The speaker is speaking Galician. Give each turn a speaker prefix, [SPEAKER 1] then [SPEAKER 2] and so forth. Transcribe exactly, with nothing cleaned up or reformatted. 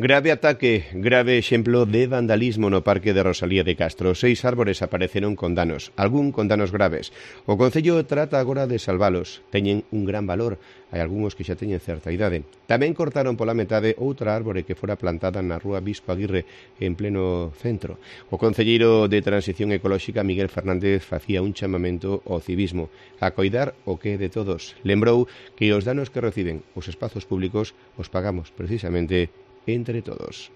[SPEAKER 1] Grave ataque, grave exemplo de vandalismo no Parque de Rosalía de Castro. Seis árbores apareceron con danos, algún con danos graves. O Concello trata agora de salvalos. Teñen un gran valor, hai algúns que xa teñen certa idade. Tamén cortaron pola metade outra árbore que fora plantada na rúa Bispo Aguirre en pleno centro. O concelleiro de Transición Ecolóxica, Miguel Fernández, facía un chamamento ao civismo, a coidar o que é de todos. Lembrou que os danos que reciben os espazos públicos os pagamos precisamente entre todos.